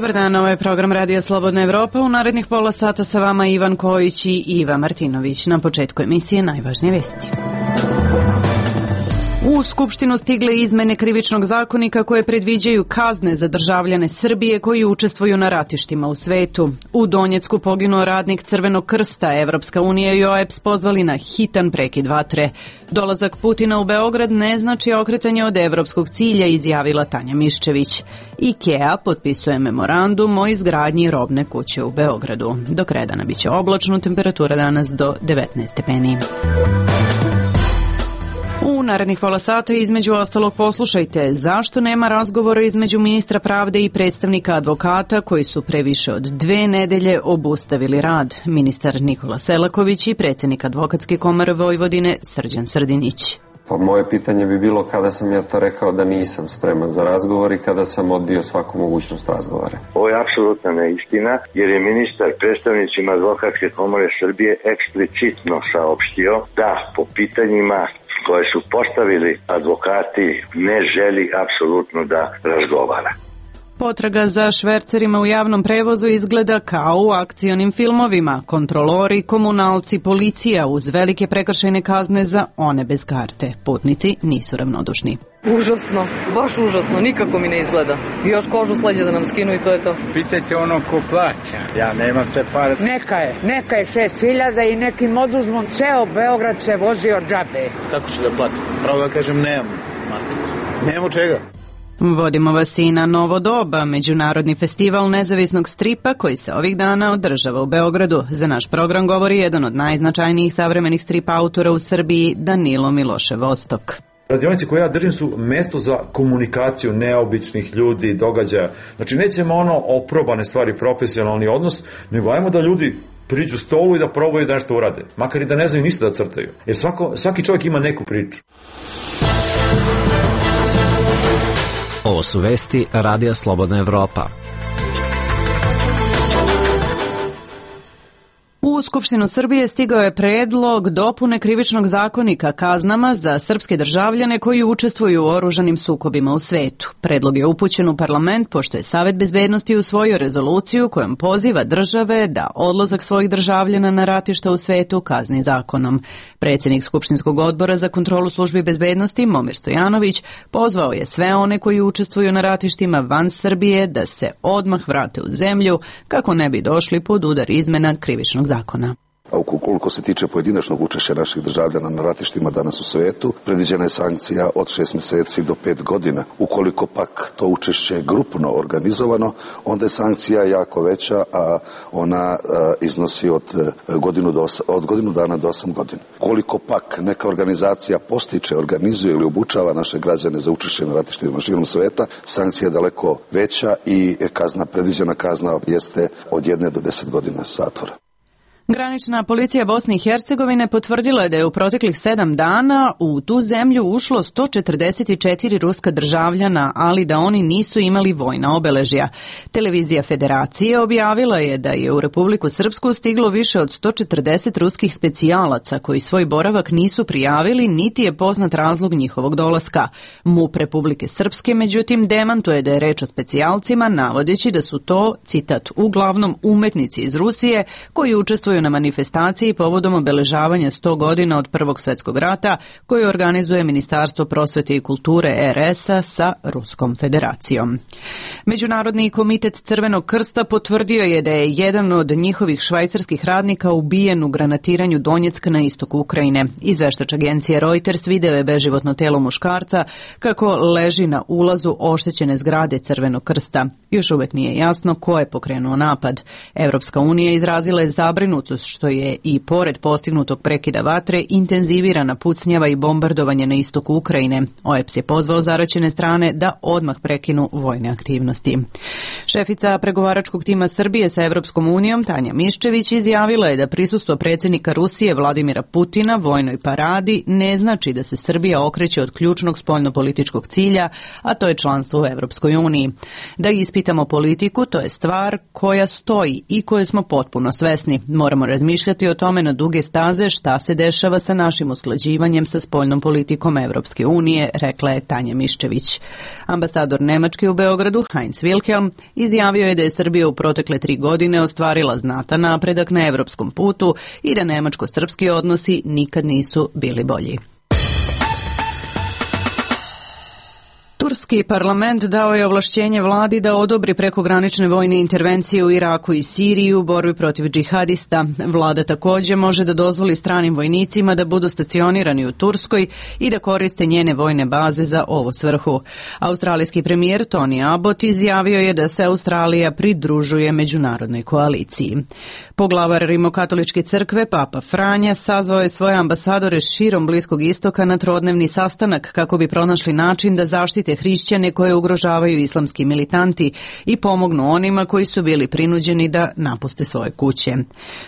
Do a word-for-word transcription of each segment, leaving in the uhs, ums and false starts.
Dobar dan, ovo je program Radija Slobodna Evropa. U narednih pola sata sa vama Ivan Kojić i Iva Martinović. Na početku emisije najvažnije vesti. U Skupštinu stigle izmene krivičnog zakonika koje predviđaju kazne za državljane Srbije koji učestvuju na ratištima u svetu. U Donjecku poginuo radnik Crvenog krsta, Evropska unija i O E B S pozvali na hitan prekid vatre. Dolazak Putina u Beograd ne znači okretanje od evropskog cilja, izjavila Tanja Miščević. IKEA potpisuje memorandum o izgradnji robne kuće u Beogradu. Do kraja dana biće oblačno, temperatura danas do devetnaest stepeni. U narednih pola sata između ostalog poslušajte zašto nema razgovora između ministra pravde i predstavnika advokata koji su pre više od dve nedelje obustavili rad. Ministar Nikola Selaković i predsjednik Advokatske komore Vojvodine Srđan Srdinić. Pa moje pitanje bi bilo kada sam ja to rekao da nisam spreman za razgovor i kada sam odbio svaku mogućnost razgovora. Ovo je apsolutna neistina jer je ministar predstavnicima Advokatske komore Srbije eksplicitno saopštio da po pitanjima koje su postavili advokati ne želi apsolutno da razgovara. Potraga za švercerima u javnom prevozu izgleda kao u akcionim filmovima. Kontrolori, komunalci, policija uz velike prekršajne kazne za one bez karte. Putnici nisu ravnodušni. Užasno, baš užasno, nikako mi ne izgleda. Još kožu s leđa da nam skinu i to je to. Pitajte ono ko plaća, ja nemam te pare. Neka je, neka je šest hiljada i nekim oduzmom ceo Beograd se vozio džabe. Kako ću da platim? Pravo da kažem, nemam. Nemamo čega. Vodimo vas i na Novo doba, međunarodni festival nezavisnog stripa koji se ovih dana održava u Beogradu. Za naš program govori jedan od najznačajnijih savremenih strip autora u Srbiji, Danilo Milošev Vostok. Radionice koje ja držim su mesto za komunikaciju neobičnih ljudi, događaja. Znači nećemo ono oprobane stvari, profesionalni odnos, nego ajmo da ljudi priđu stolu i da probaju da nešto urade. Makar i da ne znaju ništa da crtaju. Jer svako, svaki čovjek ima neku priču. Ovo su vesti Radija Slobodna Evropa. U Skupštinu Srbije stigao je predlog dopune krivičnog zakonika kaznama za srpske državljane koji učestvuju u oružanim sukobima u svetu. Predlog je upućen u parlament pošto je Savet bezbednosti usvojio rezoluciju kojom poziva države da odlazak svojih državljana na ratišta u svetu kazni zakonom. Predsjednik Skupštinskog odbora za kontrolu službi bezbednosti Momir Stojanović pozvao je sve one koji učestvuju na ratištima van Srbije da se odmah vrate u zemlju kako ne bi došli pod udar izmena krivičnog zakona. zakona. A ukoliko se tiče pojedinačnog učešća naših državljana na ratištima danas u svetu, predviđena je sankcija od šest mjeseci do pet godina. Ukoliko pak to učešće je grupno organizovano, onda je sankcija jako veća, a ona a, iznosi od godinu, do, od godinu dana do osam godina. Ukoliko pak neka organizacija postiče, organizuje ili obučava naše građane za učešće na ratištima širom sveta, sankcija je daleko veća i kazna, predviđena kazna jeste od jedne do deset godina zatvora. Granična policija Bosne i Hercegovine potvrdila je da je u proteklih sedam dana u tu zemlju ušlo sto četrdeset četiri ruska državljana, ali da oni nisu imali vojna obeležja. Televizija Federacije objavila je da je u Republiku Srpsku stiglo više od sto četrdeset ruskih specijalaca koji svoj boravak nisu prijavili, niti je poznat razlog njihovog dolaska. MUP Republike Srpske, međutim, demantuje da je reč o specijalcima, navodeći da su to, citat, uglavnom umetnici iz Rusije koji učestvuju na manifestaciji povodom obeležavanja sto godina od Prvog svjetskog rata koju organizuje Ministarstvo prosvete i kulture R S-a sa Ruskom federacijom. Međunarodni komitet Crvenog krsta potvrdio je da je jedan od njihovih švajcarskih radnika ubijen u granatiranju Donjecka na istoku Ukrajine. Izveštač agencije Reuters video je beživotno telo muškarca kako leži na ulazu oštećene zgrade Crvenog krsta. Još uvek nije jasno ko je pokrenuo napad. Evropska unija izrazila je zabrinutost što je i pored postignutog prekida vatre intenzivirana pucnjava i bombardovanje na istoku Ukrajine. O E B S je pozvao zaraćene strane da odmah prekinu vojne aktivnosti. Šefica pregovaračkog tima Srbije sa Evropskom unijom Tanja Miščević izjavila je da prisustvo predsjednika Rusije Vladimira Putina vojnoj paradi ne znači da se Srbija okreće od ključnog spoljnopolitičkog cilja, a to je članstvo u Evropskoj uniji. Da ispitamo politiku, to je stvar koja stoji i koje smo potpuno svesni. Moramo moramo razmišljati o tome na duge staze šta se dešava sa našim usklađivanjem sa spoljnom politikom Evropske unije, rekla je Tanja Miščević. Ambasador Nemačke u Beogradu, Heinz Wilhelm, izjavio je da je Srbija u protekle tri godine ostvarila znatan napredak na evropskom putu i da nemačko-srpski odnosi nikad nisu bili bolji. Turski parlament dao je ovlašćenje vladi da odobri prekogranične vojne intervencije u Iraku i Siriji u borbi protiv džihadista. Vlada također može da dozvoli stranim vojnicima da budu stacionirani u Turskoj i da koriste njene vojne baze za ovo svrhu. Australijski premijer Tony Abbott izjavio je da se Australija pridružuje međunarodnoj koaliciji. Poglavar Rimokatoličke crkve, Papa Franja, sazvao je svoje ambasadore širom Bliskog istoka na trodnevni sastanak kako bi pronašli način da zaštite hrišćane koje ugrožavaju islamski militanti i pomognu onima koji su bili prinuđeni da napuste svoje kuće.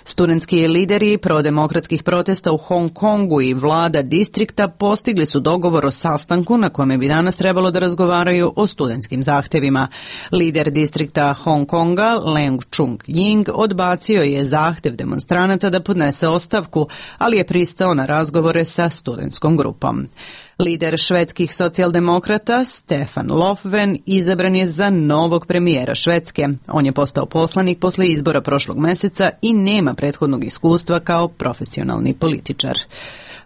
Studentski lideri prodemokratskih protesta u Hong Kongu i vlada distrikta postigli su dogovor o sastanku na kome bi danas trebalo da razgovaraju o studentskim zahtevima. Lider distrikta Hong Konga, Leung Chung-ying, odbacio je zahtev demonstranata da podnese ostavku, ali je pristao na razgovore sa studentskom grupom. Lider švedskih socijaldemokrata Stefan Löfven izabran je za novog premijera Švedske. On je postao poslanik posle izbora prošlog meseca i nema prethodnog iskustva kao profesionalni političar.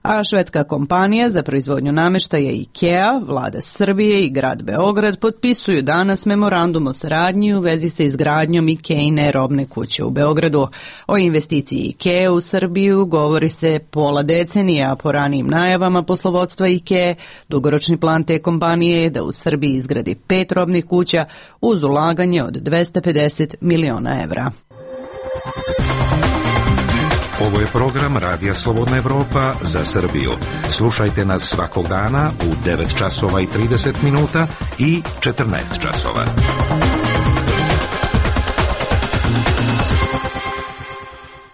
A švedska kompanija za proizvodnju nameštaja IKEA, vlada Srbije i grad Beograd potpisuju danas memorandum o saradnji u vezi sa izgradnjom IKEA-ine robne kuće u Beogradu. O investiciji IKEA u Srbiju govori se pola decenije, a po ranijim najavama poslovodstva IKEA, dugoročni plan te kompanije je da u Srbiji izgradi pet robnih kuća uz ulaganje od dvesta pedeset miliona evra. Ovo je program Radija Slobodna Evropa za Srbiju. Slušajte nas svakog dana u devet časova i trideset minuta i četrnaest časova.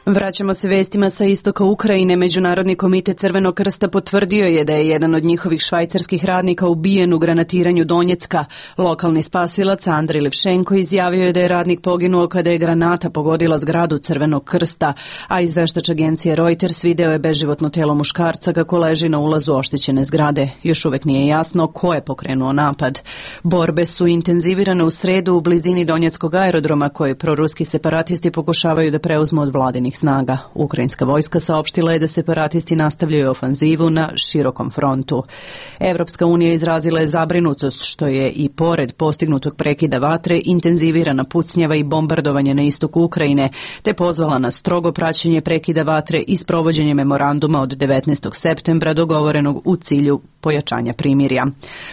Vraćamo se vestima sa istoka Ukrajine. Međunarodni komitet Crvenog krsta potvrdio je da je jedan od njihovih švajcarskih radnika ubijen u granatiranju Donjecka. Lokalni spasilac Andrej Levšenko izjavio je da je radnik poginuo kada je granata pogodila zgradu Crvenog krsta, a izveštač agencije Reuters video je beživotno telo muškarca kako leži na ulazu oštećene zgrade. Još uvek nije jasno ko je pokrenuo napad. Borbe su intenzivirane u sredu u blizini Donjeckog aerodroma koje proruski separatisti pokušavaju da preuzmu od vladinih snaga. Ukrajinska vojska saopštila je da separatisti nastavljaju ofanzivu na širokom frontu. Evropska unija izrazila je zabrinutost što je i pored postignutog prekida vatre intenzivirana pucnjava i bombardovanje na istoku Ukrajine, te pozvala na strogo praćenje prekida vatre i sprovođenje memoranduma od devetnaestog septembra dogovorenog u cilju pojačanja primirja.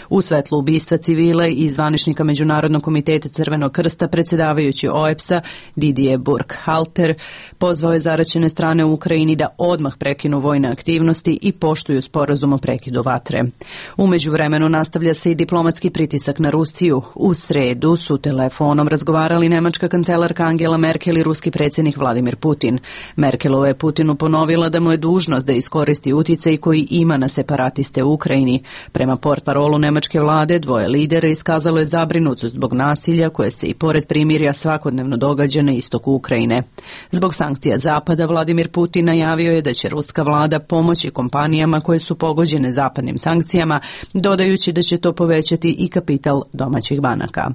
U svetlu ubistva civila i zvaničnika Međunarodnog komiteta Crvenog krsta predsjedavajući O E P S-a Didier Burkhalter pozvao je zaraćene strane u Ukrajini da odmah prekinu vojne aktivnosti i poštuju sporazum o prekidu vatre. U međuvremenu nastavlja se i diplomatski pritisak na Rusiju. U sredu su telefonom razgovarali nemačka kancelarka Angela Merkel i ruski predsjednik Vladimir Putin. Merkelova je Putinu ponovila da mu je dužnost da iskoristi uticaj koji ima na separatiste u Ukrajini. Prema portparolu nemačke vlade, dvoje lidera iskazalo je zabrinutost zbog nasilja koje se i pored primirja svakodnevno događa na istoku Ukrajine. Zbog sankcija Zapada, Vladimir Putin najavio je da će ruska vlada pomoći kompanijama koje su pogođene zapadnim sankcijama, dodajući da će to povećati i kapital domaćih banaka.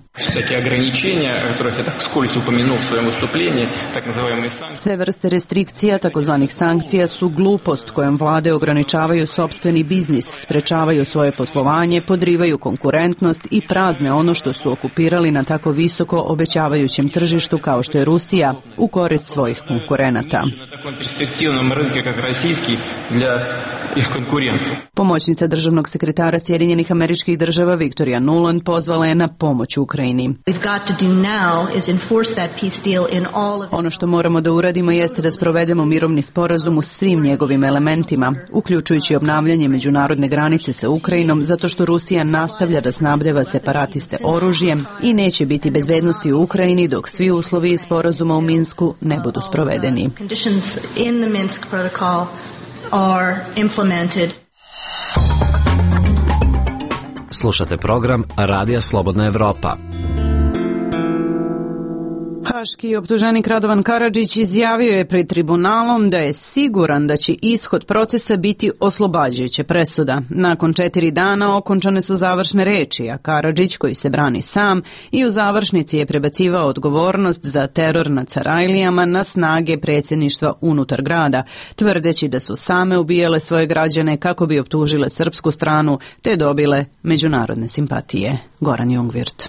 Sve vrste restrikcija, takozvanih sankcija, su glupost kojom vlade ograničavaju sopstveni biznis, sprečavaju svoje poslovanje, podrivaju konkurentnost i prazne ono što su okupirali na tako visoko obećavajućem tržištu kao što je Rusija u korist svojih konkurenata. Pomoćnica državnog sekretara Sjedinjenih Američkih Država Victoria Nuland pozvala je na pomoć Ukrajini. Ono što moramo da uradimo jeste da sprovedemo mirovni sporazum u svim njegovim elementima, uključujući obnavljanje međunarodne granice sa Ukrajinom, zato što Rusija nastavlja da snabdeva separatiste oružjem i neće biti bezbednosti u Ukrajini dok svi uslovi iz sporazuma u Minsku ne budu sprovedeni. Slušate program Radija Slobodna Evropa. Haški optuženik Radovan Karadžić izjavio je pred tribunalom da je siguran da će ishod procesa biti oslobađajuća presuda. Nakon četiri dana okončane su završne reči, a Karadžić, koji se brani sam, i u završnici je prebacivao odgovornost za teror nad Sarajlijama na snage predsjedništva unutar grada, tvrdeći da su same ubijale svoje građane kako bi optužile srpsku stranu te dobile međunarodne simpatije. Goran Jungwirth.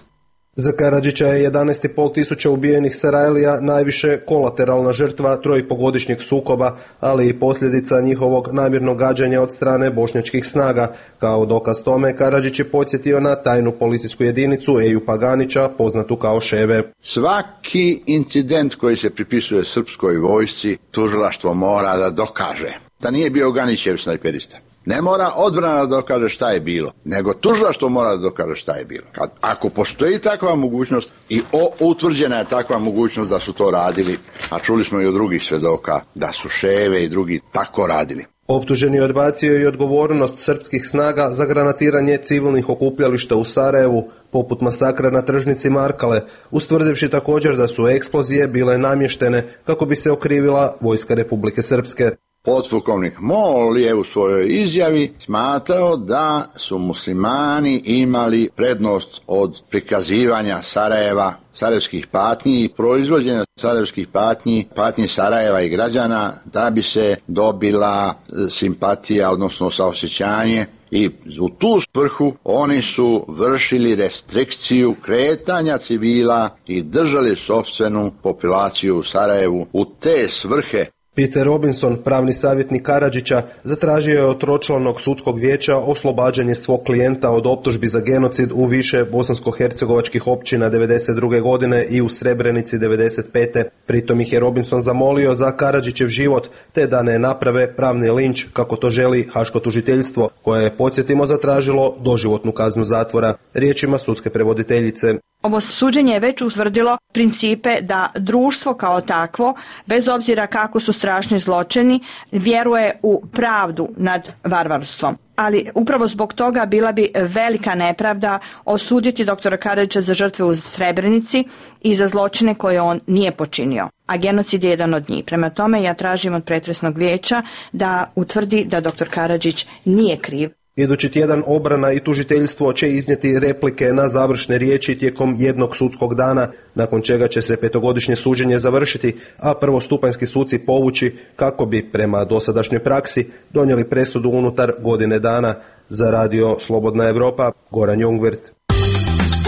Za Karadžića je jedanaest i pol tisuća ubijenih Sarajlija najviše kolateralna žrtva trojpogodišnjeg sukoba, ali i posljedica njihovog namjernog gađanja od strane bošnjačkih snaga. Kao dokaz tome, Karadžić je podsjetio na tajnu policijsku jedinicu Eju Paganića, poznatu kao Ševe. Svaki incident koji se pripisuje srpskoj vojsci, tužilaštvo mora da dokaže da nije bio Ganićev snajperista. Ne mora odbrana da dokaže šta je bilo, nego tužilaštvo mora da dokaže šta je bilo. Kad, ako postoji takva mogućnost i o, utvrđena je takva mogućnost da su to radili, a čuli smo i od drugih svedoka da su Ševe i drugi tako radili. Optuženi je odbacio i odgovornost srpskih snaga za granatiranje civilnih okupljališta u Sarajevu, poput masakra na tržnici Markale, ustvrdivši također da su eksplozije bile namještene kako bi se okrivila vojska Republike Srpske. Podpukovnik Mol je u svojoj izjavi smatrao da su muslimani imali prednost od prikazivanja Sarajeva, sarajevskih patnji i proizvođenja sarajevskih patnji, patnji Sarajeva i građana da bi se dobila simpatija, odnosno saosjećanje. I u tu svrhu oni su vršili restrikciju kretanja civila i držali sopstvenu populaciju u Sarajevu u te svrhe. Peter Robinson, pravni savjetnik Karadžića, zatražio je od tročlanog sudskog vijeća oslobađanje svog klijenta od optužbi za genocid u više bosansko-hercegovačkih općina devedeset druge godine i u Srebrenici devedeset pete. Pritom ih je Robinson zamolio za Karadžićev život, te da ne naprave pravni linč kako to želi haško tužiteljstvo, koje je, podsjetimo, zatražilo doživotnu kaznu zatvora. Riječima sudske prevoditeljice. Ovo suđenje je već utvrdilo principe da društvo kao takvo, bez obzira kako su strašni zločini, vjeruje u pravdu nad varvarstvom. Ali upravo zbog toga bila bi velika nepravda osuditi doktora Karadžića za žrtve u Srebrenici i za zločine koje on nije počinio. A genocid je jedan od njih. Prema tome ja tražim od pretresnog vijeća da utvrdi da doktor Karadžić nije kriv. Idući tjedan obrana i tužiteljstvo će iznijeti replike na završne riječi tijekom jednog sudskog dana, nakon čega će se petogodišnje suđenje završiti, a prvostupanjski suci povući kako bi, prema dosadašnjoj praksi, donijeli presudu unutar godine dana. Za radio Slobodna Evropa, Goran Jungwirth.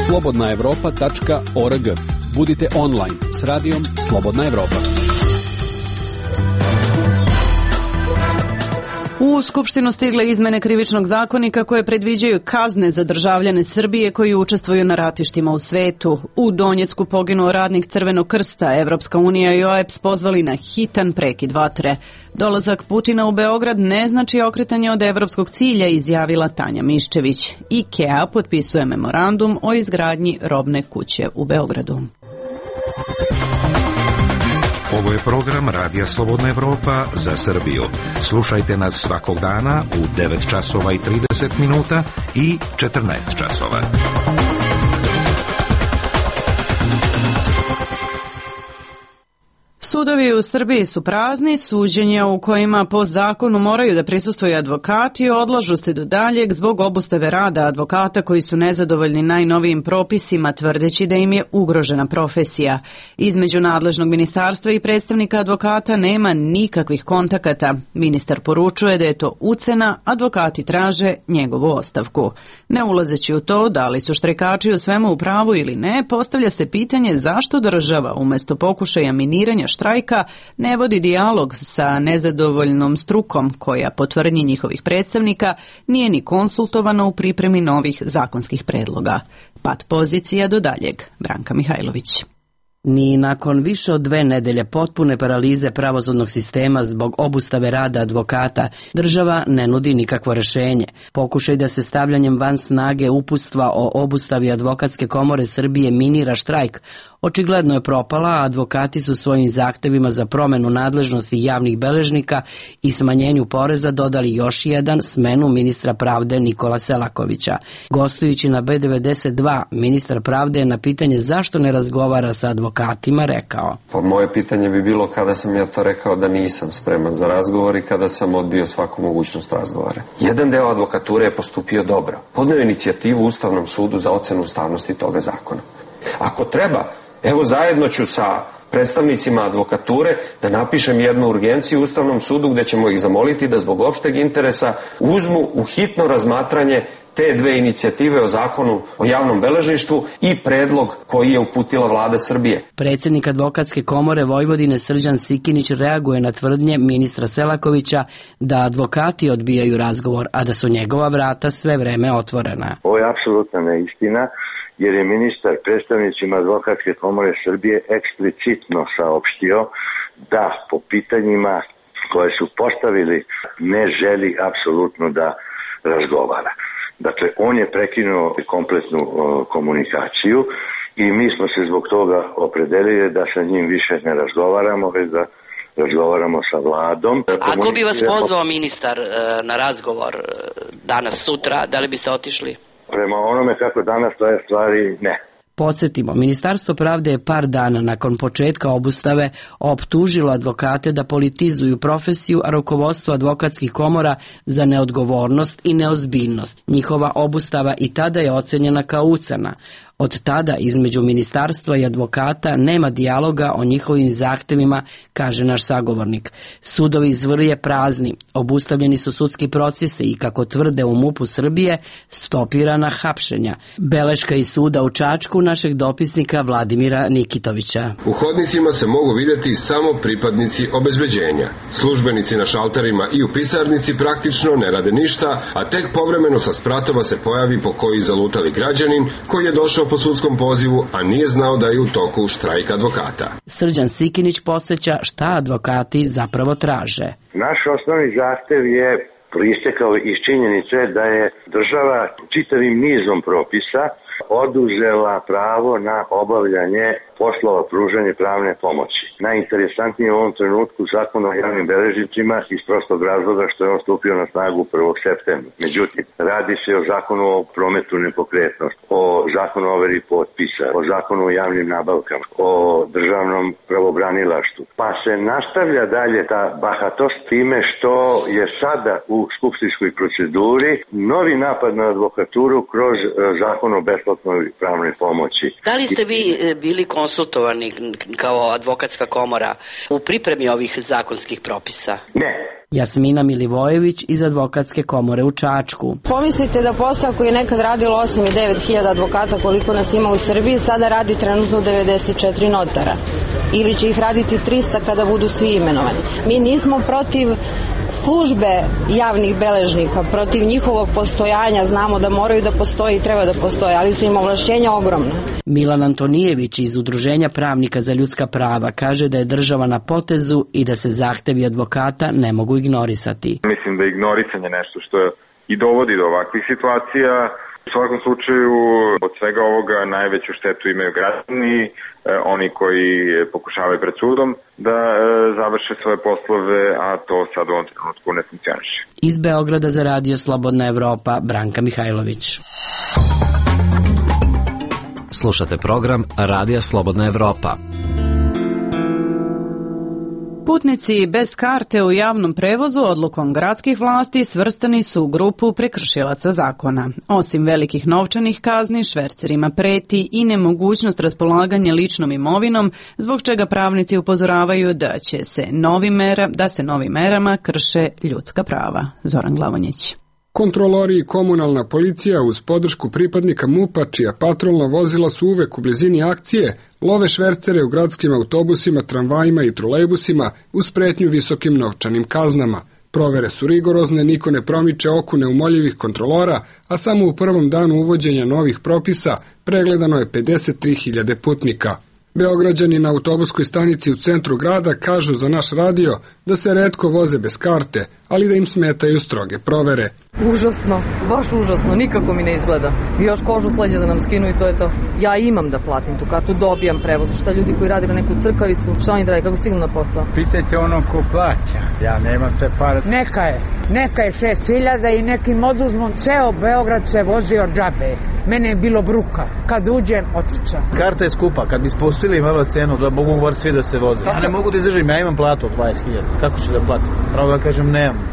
slobodna evropa tačka org. Budite online s radijom Slobodna Evropa. U Skupštinu stigle izmene krivičnog zakonika koje predviđaju kazne za državljane Srbije koji učestvuju na ratištima u svetu. U Donjecku poginuo radnik Crvenog krsta, Evropska unija i O E B S pozvali na hitan prekid vatre. Dolazak Putina u Beograd ne znači okretanje od evropskog cilja, izjavila Tanja Miščević. IKEA potpisuje memorandum o izgradnji robne kuće u Beogradu. Ovo je program Radija Slobodna Evropa za Srbiju. Slušajte nas svakog dana u devet časova i trideset minuta i četrnaest časova. Sudovi u Srbiji su prazni, suđenja u kojima po zakonu moraju da prisustvuju advokati odlažu se do daljeg zbog obustave rada advokata koji su nezadovoljni najnovijim propisima, tvrdeći da im je ugrožena profesija. Između nadležnog ministarstva i predstavnika advokata nema nikakvih kontakata. Ministar poručuje da je to ucena, advokati traže njegovu ostavku. Ne ulazeći u to da li su štrajkači u svemu u pravu ili ne, postavlja se pitanje zašto država umjesto pokušaja miniranja štrajka ne vodi dijalog sa nezadovoljnom strukom koja, po tvrdnji njihovih predstavnika, nije ni konsultovana u pripremi novih zakonskih predloga. Pad pozicija do daljeg. Branka Mihajlović. Ni nakon više od dve nedelje potpune paralize pravosudnog sistema zbog obustave rada advokata, država ne nudi nikakvo rješenje. Pokušaj da se stavljanjem van snage uputstva o obustavi Advokatske komore Srbije minira štrajk očigledno je propala, a advokati su svojim zahtevima za promjenu nadležnosti javnih beležnika i smanjenju poreza dodali još jedan, smenu ministra pravde Nikola Selakovića. Gostujući na B devedeset dva, ministar pravde je na pitanje zašto ne razgovara sa advokatima advokatima rekao. Pa moje pitanje bi bilo kada sam ja to rekao da nisam spreman za razgovor i kada sam odbio svaku mogućnost razgovora. Jedan deo advokature je postupio dobro. Podneo inicijativu Ustavnom sudu za ocenu ustavnosti toga zakona. Ako treba, evo zajedno ću sa predstavnicima advokature da napišem jednu urgenciju Ustavnom sudu gde ćemo ih zamoliti da zbog opšteg interesa uzmu u hitno razmatranje te dve inicijative o zakonu o javnom beležništvu i predlog koji je uputila vlada Srbije. Predsjednik Advokatske komore Vojvodine Srđan Sikinić reaguje na tvrdnje ministra Selakovića da advokati odbijaju razgovor, a da su njegova vrata sve vreme otvorena. Ovo je apsolutna neistina, jer je ministar predstavnicima Advokatske komore Srbije eksplicitno saopštio da po pitanjima koje su postavili ne želi apsolutno da razgovara. Dakle, on je prekinuo kompletnu o, komunikaciju i mi smo se zbog toga opredelili da sa njim više ne razgovaramo, već da razgovaramo sa vladom. Ako bi vas pozvao ministar e, na razgovor e, danas, sutra, da li biste otišli? Prema onome kako danas stoje stvari, ne. Podsjetimo, Ministarstvo pravde je par dana nakon početka obustave optužilo advokate da politizuju profesiju, a rukovodstvo advokatskih komora za neodgovornost i neozbiljnost. Njihova obustava i tada je ocenjena kao ucena. Od tada između ministarstva i advokata nema dijaloga o njihovim zahtevima, kaže naš sagovornik. Sudovi iz Vrlje prazni, obustavljeni su sudski procesi i, kako tvrde u MUP-u Srbije, stopirana hapšenja. Beleška iz suda u Čačku našeg dopisnika Vladimira Nikitovića. U hodnicima se mogu vidjeti samo pripadnici obezbeđenja. Službenici na šalterima i u pisarnici praktično ne rade ništa, a tek povremeno sa spratova se pojavi po koji zalutali građanin koji je došao po sudskom pozivu, a nije znao da je u toku štrajk advokata. Srđan Sikinić podsjeća šta advokati zapravo traže. Naš osnovni zahtev je proistekao iz činjenice da je država čitavim nizom propisa oduzela pravo na obavljanje poslova pružanja pravne pomoći. Najinteresantnije u ovom trenutku zakon o javnim beležnicima iz prostog razloga što je on stupio na snagu prvog septembra. Međutim, radi se o zakonu o prometu nepokretnosti, o zakonu o overi potpisa, o zakonu o javnim nabavkama, o državnom pravobranilaštvu. Pa se nastavlja dalje ta bahatost time što je sada u skupštinskoj proceduri novi napad na advokaturu kroz zakon o besplatnoj pravnoj pomoći. Da li ste vi bili konsultovani kao advokatska komora u pripremi ovih zakonskih propisa? Ne. Jasmina Milivojević iz Advokatske komore u Čačku. Pomislite da posao koji je nekad radilo osam i devet hiljada advokata koliko nas ima u Srbiji, sada radi trenutno devedeset četiri notara. Ili će ih raditi trista kada budu svi imenovani. Mi nismo protiv službe javnih beležnika, protiv njihovog postojanja, znamo da moraju da postoje i treba da postoje, ali su im ovlašćenja ogromna. Milan Antonijević iz Udruženja pravnika za ljudska prava kaže da je država na potezu i da se zahtevi advokata ne mogu ignorisati. Mislim da je ignorisanje nešto što i dovodi do ovakvih situacija. U svakom slučaju, od svega ovoga najveću štetu imaju građani, oni koji pokušavaju pred sudom da završe svoje poslove, a to sad u ovom trenutku ne funkcioniše. Iz Beograda za Radio Slobodna Evropa, Branka Mihajlović. Slušate program Radija Slobodna Evropa. Putnici bez karte u javnom prevozu odlukom gradskih vlasti svrstani su u grupu prekršilaca zakona. Osim velikih novčanih kazni, švercerima preti i nemogućnost raspolaganja ličnom imovinom, zbog čega pravnici upozoravaju da će se novim mera, da se novim merama krše ljudska prava. Zoran Glavonjić. Kontrolori i komunalna policija uz podršku pripadnika MUP-a, čija patrolna vozila su uvek u blizini akcije, love švercere u gradskim autobusima, tramvajima i trolejbusima uz pretnju visokim novčanim kaznama. Provere su rigorozne, niko ne promiče oku neumoljivih kontrolora, a samo u prvom danu uvođenja novih propisa pregledano je pedeset tri hiljade putnika. Beograđani na autobuskoj stanici u centru grada kažu za naš radio da se retko voze bez karte, ali da im smetaju stroge provere. Užasno, baš užasno, nikako mi ne izgleda. I još kožu s leđa da nam skinu i to je to. Ja imam da platim tu kartu, dobijam prevoz. Šta ljudi koji rade na neku crkavicu, šta oni rade, kako stignu na posao? Pitajte ono ko plaća, ja nemam te pare. Neka je, neka je šest hiljada i nekim oduzmom ceo Beograd se vozi od džabe. Mene je bilo bruka. Kad uđem, otičam. Karta je skupa, kad bi spustili malo cenu, da mogu bar svi da se voze. Ja ne mogu da izdržim, ja imam platu od dvadeset hiljada. Kako ću da platim? Pravo da kažem, nemam.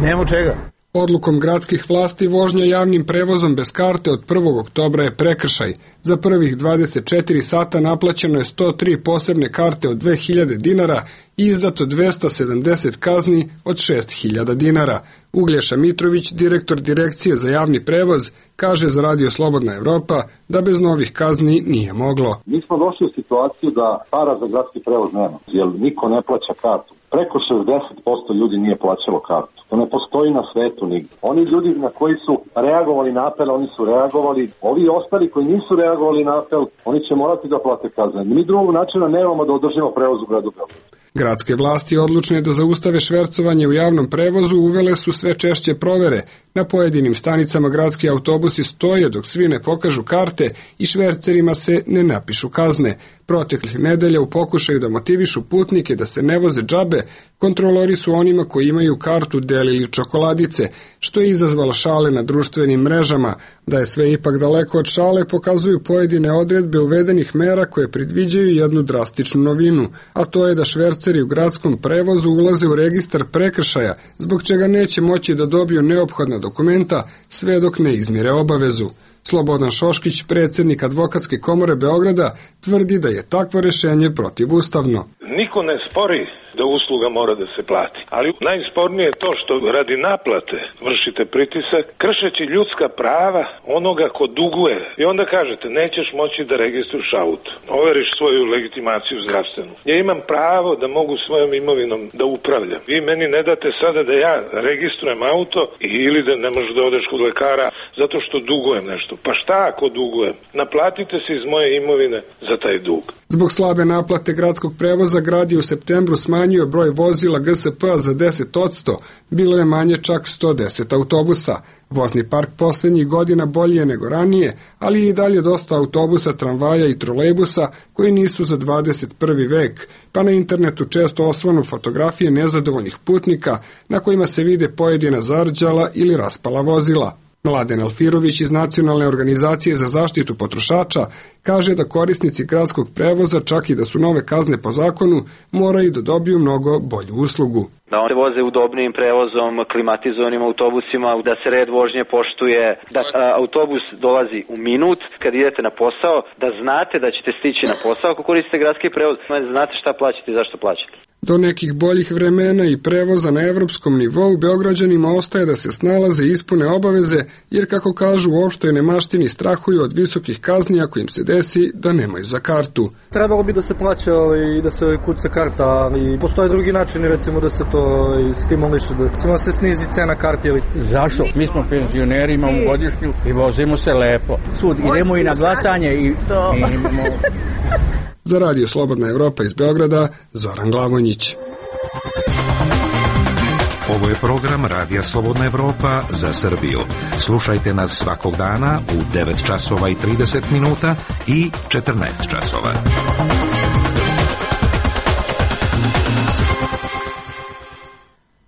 Nemam čega. Odlukom gradskih vlasti vožnja javnim prevozom bez karte od prvog oktobra je prekršaj. Za prvih dvadeset četiri sata naplaćeno je sto tri posebne karte od dve hiljade dinara i izdato dvesta sedamdeset kazni od šest hiljada dinara. Uglješa Mitrović, direktor Direkcije za javni prevoz, kaže za Radio Slobodna Evropa da bez novih kazni nije moglo. Mi smo došli u situaciju da para za gradski prevoz nema, jer niko ne plaća kartu. Preko šezdeset posto ljudi nije plaćalo kartu. To ne postoji na svetu nigde. Oni ljudi na koji su reagovali na apel, oni su reagovali. Ovi ostali koji nisu reagovali na apel, oni će morati da plate kazne. Mi drugog načina nemamo da održimo prevoz u gradu Beogradu. Gradske vlasti odlučne da zaustave švercovanje u javnom prevozu uvele su sve češće provere. Na pojedinim stanicama gradski autobusi stoje dok svi ne pokažu karte i švercerima se ne napišu kazne. Proteklih nedelja u pokušaju da motivišu putnike da se ne voze džabe, kontrolori su onima koji imaju kartu delili čokoladice, što je izazvalo šale na društvenim mrežama. Da je sve ipak daleko od šale pokazuju pojedine odredbe uvedenih mera koje predviđaju jednu drastičnu novinu, a to je da šverceri u gradskom prevozu ulaze u registar prekršaja, zbog čega neće moći da dobiju neophodna dokumenta sve dok ne izmire obavezu. Slobodan Šoškić, predsjednik Advokatske komore Beograda, tvrdi da je takvo rešenje protivustavno. Niko ne spori da usluga mora da se plati, ali najspornije je to što radi naplate vršite pritisak, kršeći ljudska prava onoga ko duguje. I onda kažete, nećeš moći da registruješ auto, overiš svoju legitimaciju zdravstvenu. Ja imam pravo da mogu svojom imovinom da upravljam. Vi meni ne date sada da ja registrujem auto ili da ne možeš da odeš kod lekara zato što dugujem nešto. Pa šta ako dugujem? Naplatite se iz moje imovine za taj dug. Zbog slabe naplate gradskog prevoza, grad je u septembru smanjio broj vozila G S P-a za deset odsto, bilo je manje čak sto deset autobusa. Vozni park poslednjih godina bolji je nego ranije, ali je i dalje dosta autobusa, tramvaja i trolejbusa koji nisu za dvadeset prvi vek, pa na internetu često osvanu fotografije nezadovoljnih putnika na kojima se vide pojedina zarđala ili raspala vozila. Mladen Alfirović iz Nacionalne organizacije za zaštitu potrošača kaže da korisnici gradskog prevoza, čak i da su nove kazne po zakonu, moraju da dobiju mnogo bolju uslugu. Da oni voze udobnijim prevozom, klimatizovanim autobusima, da se red vožnje poštuje, da a, autobus dolazi u minut kad idete na posao, da znate da ćete stići na posao ako koristite gradski prevoz, znate šta plaćate i zašto plaćate. Do nekih boljih vremena i prevoza na evropskom nivou Beograđanima ostaje da se snalaze i ispune obaveze, jer kako kažu u opštoj nemaštini strahuju od visokih kazni ako im se desi da nemaju za kartu. Trebalo bi da se plaća i da se kuca karta, ali postoje drugi načini recimo da se to stimuliše, da recimo se snizi cena karti. Ili... Zašto? Mi smo penzioneri, imamo godišnju i vozimo se lepo. Sud, idemo i na glasanje i... Za Radio Slobodna Evropa iz Beograda, Zoran Glavonjić. Ovo je program Radija Slobodna Evropa za Srbiju. Slušajte nas svakog dana u devet časova i trideset minuta i četrnaest časova.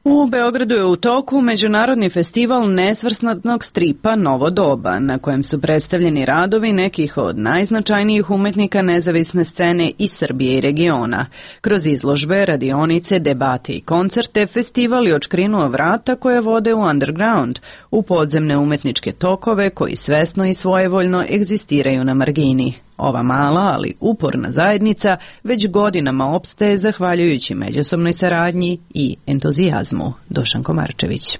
U Beogradu je u toku Međunarodni festival nesvrstanog stripa Novo doba, na kojem su predstavljeni radovi nekih od najznačajnijih umetnika nezavisne scene iz Srbije i regiona. Kroz izložbe, radionice, debate i koncerte, festival je odškrinuo vrata koje vode u underground, u podzemne umetničke tokove koji svesno i svojevoljno egzistiraju na margini. Ova mala, ali uporna zajednica već godinama opstaje zahvaljujući međusobnoj saradnji i entuzijazmu. Dušan Komarčević.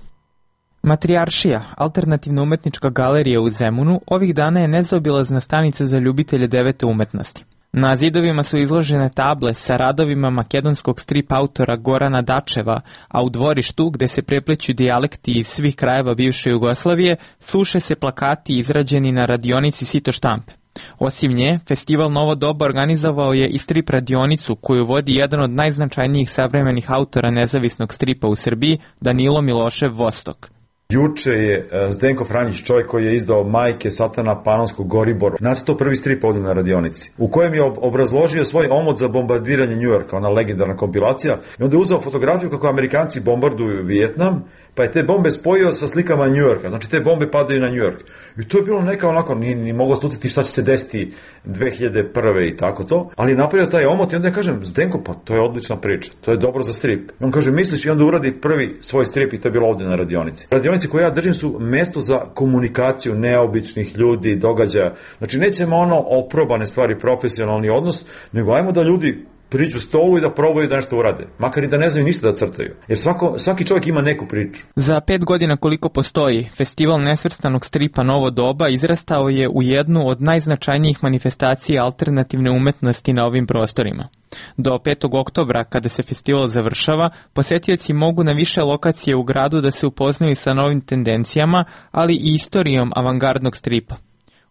Matrijaršija, alternativna umetnička galerija u Zemunu, ovih dana je nezaobilazna stanica za ljubitelje devete umetnosti. Na zidovima su izložene table sa radovima makedonskog strip autora Gorana Dačeva, a u dvorištu, gde se prepleću dijalekti iz svih krajeva bivše Jugoslavije, suše se plakati izrađeni na radionici Sito štampe. Osim nje, festival Novo doba organizovao je i strip radionicu koju vodi jedan od najznačajnijih savremenih autora nezavisnog stripa u Srbiji, Danilo Milošev Vostok. Juče je Zdenko Franjić, čovjek koji je izdao Majke Satana Panonskog Goribor, nacrtao prvi strip ovdje na radionici, u kojem je obrazložio svoj omot za bombardiranje Njujorka, ona legendarna kompilacija, i onda je uzeo fotografiju kako Amerikanci bombarduju Vijetnam, pa je te bombe spojio sa slikama New Yorka, znači te bombe padaju na New York. I to je bilo neka onako, ni, ni moglo slutiti šta će se desiti dve hiljade prve i tako to, ali je napravio taj omot i onda ja kažem, Zdenko, pa to je odlična priča, to je dobro za strip. I on kaže, misliš, i onda uradi prvi svoj strip i to je bilo ovdje na radionici. Radionici koje ja držim su mesto za komunikaciju neobičnih ljudi, događaja. Znači nećemo ono oprobane stvari, profesionalni odnos, nego ajmo da ljudi priđu stolu i da probaju da nešto urade. Makar i da ne znaju ništa da crtaju. Jer svako, svaki čovjek ima neku priču. Za pet godina koliko postoji, Festival nesvrstanog stripa Novo doba izrastao je u jednu od najznačajnijih manifestacija alternativne umetnosti na ovim prostorima. Do petog oktobra, kada se festival završava, posetioci mogu na više lokacije u gradu da se upoznaju sa novim tendencijama, ali i istorijom avangardnog stripa.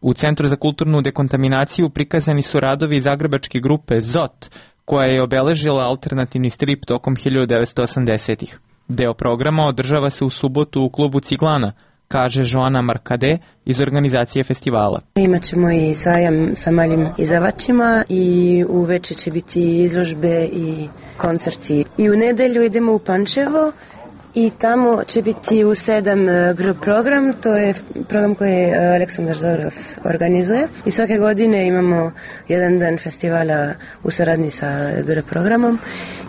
U Centru za kulturnu dekontaminaciju prikazani su radovi zagrebačke grupe Zot, koja je obeležila alternativni strip tokom hiljadu devetsto osamdesetih. Deo programa održava se u subotu u klubu Ciglana, kaže Joana Markade iz organizacije festivala. Imaćemo i sajam sa malim izdavačima i uveče će biti izložbe i koncerti. I u nedelju idemo u Pančevo i tamo će biti u sedam gr program, to je program koji Aleksandar Zorov organizuje i svake godine imamo jedan dan festivala u saradnji sa gr programom.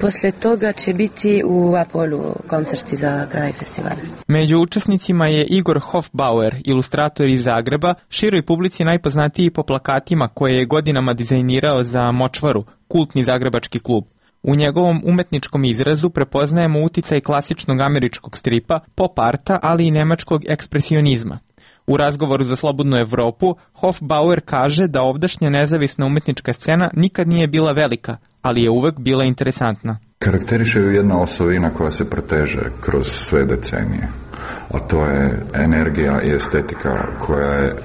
Posle toga će biti u Apolu koncerti za kraj festivala. Među učesnicima je Igor Hofbauer, ilustrator iz Zagreba, široj publici najpoznatiji po plakatima koje je godinama dizajnirao za Močvaru, kultni zagrebački klub. U njegovom umetničkom izrazu prepoznajemo uticaj klasičnog američkog stripa, pop arta, ali i nemačkog ekspresionizma. U razgovoru za Slobodnu Evropu, Hofbauer kaže da ovdašnja nezavisna umetnička scena nikad nije bila velika, ali je uvek bila interesantna. Karakteriše ju jedna osobina koja se proteže kroz sve decenije, a to je energija i estetika koja je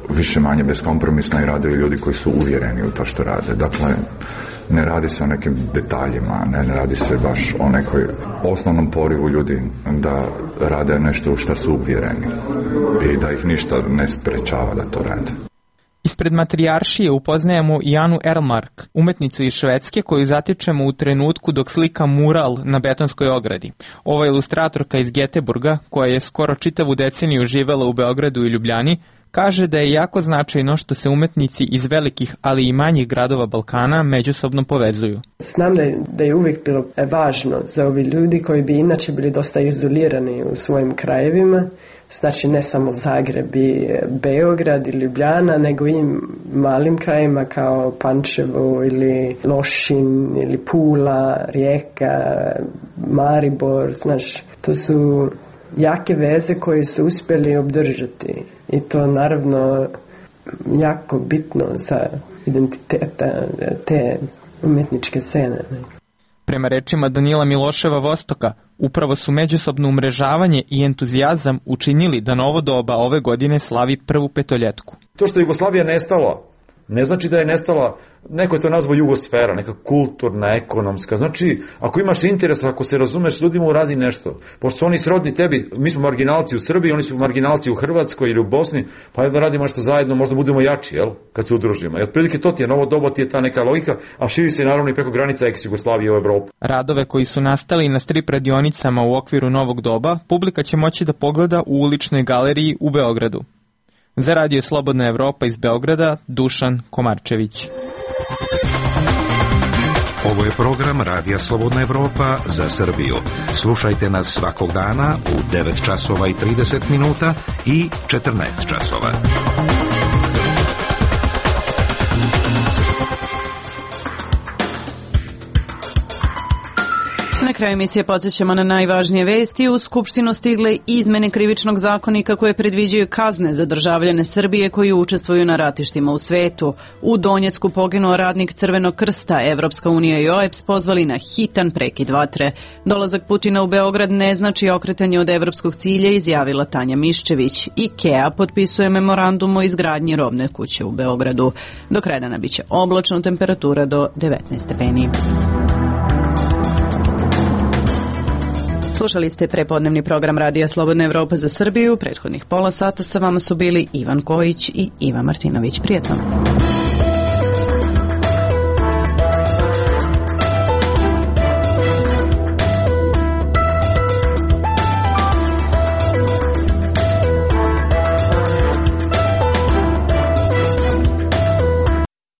više manje beskompromisna i rade ljudi koji su uvjereni u to što rade. Dakle, ne radi se o nekim detaljima, ne, ne radi se baš o nekoj osnovnom porivu ljudi da rade nešto u što su uvjereni i da ih ništa ne sprečava da to rade. Ispred Matrijaršije upoznajemo i Anu Erlmark, umetnicu iz Švedske koju zatičemo u trenutku dok slika mural na betonskoj ogradi. Ova ilustratorka iz Geteburga, koja je skoro čitavu deceniju živela u Beogradu i Ljubljani, kaže da je jako značajno što se umetnici iz velikih, ali i manjih gradova Balkana međusobno povezuju. Znam da je, da je uvijek bilo važno za ovi ljudi koji bi inače bili dosta izolirani u svojim krajevima, znači ne samo Zagreb i Beograd i Ljubljana, nego i malim krajima kao Pančevo ili Lošin ili Pula, Rijeka, Maribor, znaš, to su jake veze koje su uspjeli obdržati i to naravno jako bitno za identiteta te umjetničke scene. Prema rečima Danila Miloševa Vostoka, upravo su međusobno umrežavanje i entuzijazam učinili da Novo doba ove godine slavi prvu petoljetku. To što je Jugoslavija nestala, ne znači da je nestala, neko je to nazvao jugosfera, neka kulturna, ekonomska. Znači, ako imaš interes, ako se razumeš, ljudima uradi nešto. Pošto su oni srodni tebi, mi smo marginalci u Srbiji, oni su marginalci u Hrvatskoj ili u Bosni, pa jedno radimo nešto zajedno, možda budemo jači, jel? Kad se udružimo. I otprilike to ti je, Novo doba ti je ta neka logika, a širi se naravno i preko granica ex-Jugoslavije u Evropu. Radove koji su nastali na strip radionicama u okviru Novog doba, publika će moći da pogleda u uličnoj galeriji u Beogradu. Za Radio Slobodna Evropa iz Beograda, Dušan Komarčević. Ovo je program Radija Slobodna Evropa za Srbiju. Slušajte nas svakog dana u devet časova i trideset minuta i četrnaest časova. Na kraju emisije podsjećamo na najvažnije vesti. U Skupštinu stigle izmene krivičnog zakonika koje predviđaju kazne za državljane Srbije koji učestvuju na ratištima u svetu. U Donjecku poginuo radnik Crvenog krsta. Evropska unija i O E B S pozvali na hitan prekid vatre. Dolazak Putina u Beograd ne znači okretanje od evropskog cilja, izjavila Tanja Miščević. IKEA potpisuje memorandum o izgradnji robne kuće u Beogradu. Do kraja dana biće oblačno, temperatura do devetnaest stepeni. Slušali ste prepodnevni program Radija Slobodna Evropa za Srbiju. Prethodnih pola sata sa vama su bili Ivan Kojić i Iva Martinović. Prijetno.